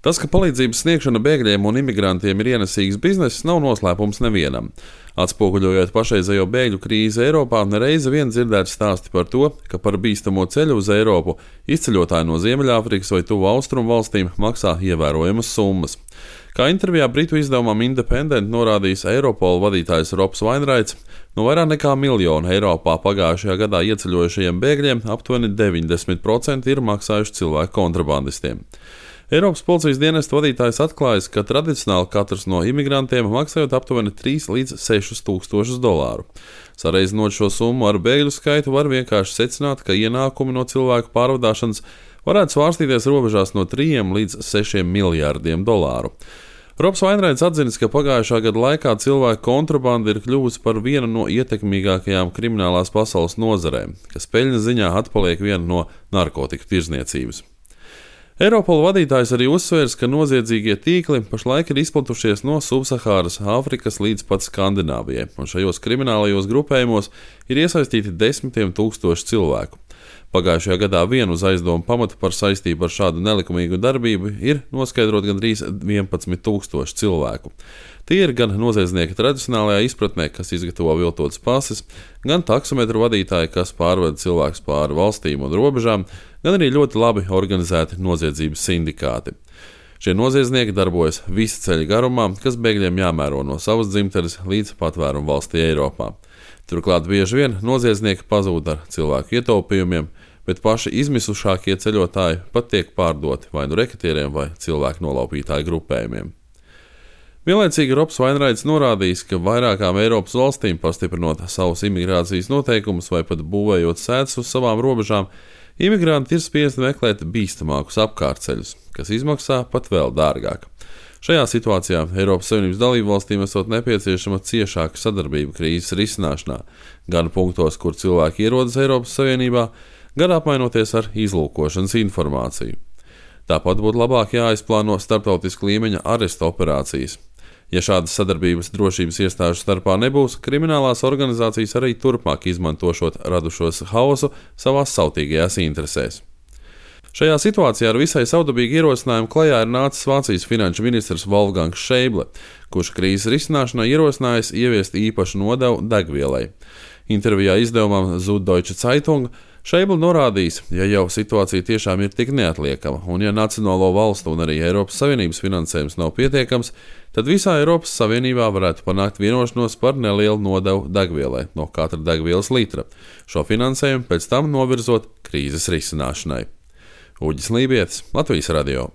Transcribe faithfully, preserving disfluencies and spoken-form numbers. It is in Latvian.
Tas, ka palīdzības sniegšana bēgļiem un imigrantiem ir ienesīgs bizness, nav noslēpums nevienam. Atspoguļojot pašreizējo bēgļu krīzi Eiropā, nereizi vien dzirdēts stāsti par to, ka par bīstamo ceļu uz Eiropu izceļotāji no Ziemeļāfrikas vai Tuvu Austrumu valstīm maksā ievērojamas summas. Kā intervijā britu izdevumam Independent norādījis Eiropola vadītājs Robs Wainwrights, no vairāk nekā miljonu Eiropā pagājušajā gadā ieceļojušajiem bēgļiem aptuveni deviņdesmit procenti ir maksājuši cilvēku kontrabandistiem. Eiropas policijas dienesta vadītājs atklājis, ka tradicionāli katrs no imigrantiem maksājot aptuveni trīs līdz sešus tūkstošus dolāru. Sareizinot šo summu ar bēgļu skaitu, var vienkārši secināt, ka ienākumi no cilvēku pārvadāšanas varētu svārstīties robežās no trījiem līdz sešiem miljārdiem dolāru. Robs Wainwrights atzinis, ka pagājušā gada laikā cilvēku kontrabanda ir kļuvusi par vienu no ietekmīgākajām kriminālās pasaules nozarēm, kas peļņas ziņā atpaliek viena no narkotiku tirdzniecības. Eiropola vadītājs arī uzsvērs, ka noziedzīgie tīkli pašlaik ir izplatušies no Subsahāras Āfrikas līdz pat Skandināvijai, un šajos kriminālajos grupējumos ir iesaistīti desmitiem tūkstoši cilvēku. Pagājušajā gadā vienu uz aizdomu pamatu par saistību ar šādu nelikumīgu darbību ir noskaidrot gandrīz vienpadsmit tūkstoši cilvēku. Tie ir gan noziedznieki tradicionālajā izpratnē, kas izgatavo viltotas pases, gan taksometru vadītāji, kas pārvada cilvēkus pāri valstīm un robežām, gan arī ļoti labi organizēti noziedzības sindikāti. Šie noziedznieki darbojas visu ceļu garumā, kas bēgļiem jāmēro no savas dzimtenes līdz patvērumu valstī Eiropā. Turklāt bieži vien noziedznieki pazūd ar cilvēku ietaupījumiem, bet paši izmisušākie ceļotāji pat tiek pārdoti vai nu reketieriem vai cilvēku nolaupītāju grupējumiem. Vienlaicīgi Robs Wainwrights norādījis, ka vairākām Eiropas valstīm pastiprinot savus imigrācijas noteikumus vai pat būvējot sēdus uz savām robežām, imigranti ir spiesti meklēt bīstamākus apkārtceļus, kas izmaksā pat vēl dārgāk. Šajā situācijā Eiropas Savienības dalībvalstīm esot nepieciešama ciešāka sadarbība krīzes risināšanā, gan punktos, kur cilvēki ierodas Eiropas Savienībā, gan apmainoties ar izlūkošanas informāciju. Tāpat būtu labāk jāizplāno starptautiska līmeņa aresta operācijas. Ja šādas sadarbības drošības iestāžu starpā nebūs, kriminālās organizācijas arī turpmāk izmantošot radušos haosu savās sautīgajās interesēs. Šajā situācijā ar visai savdabīgu ierosinājumu klajā ir nācis Vācijas finanšu ministrs Wolfgangs Schäuble, kurš krīzes risināšanai ierosinājis ieviest īpašu nodevu degvielai. Intervijā izdevumam Süddeutsche Zeitung Schäuble norādījis, ja jau situācija tiešām ir tik neatliekama, un ja nacionālo valstu un arī Eiropas Savienības finansējums nav pietiekams, tad visā Eiropas Savienībā varētu panākt vienošanos par nelielu nodevu degvielai no katra degvielas litra, šo finansējumu pēc tam novirzot krīzes risināšanai. Uģis Lībietis, Latvijas radio.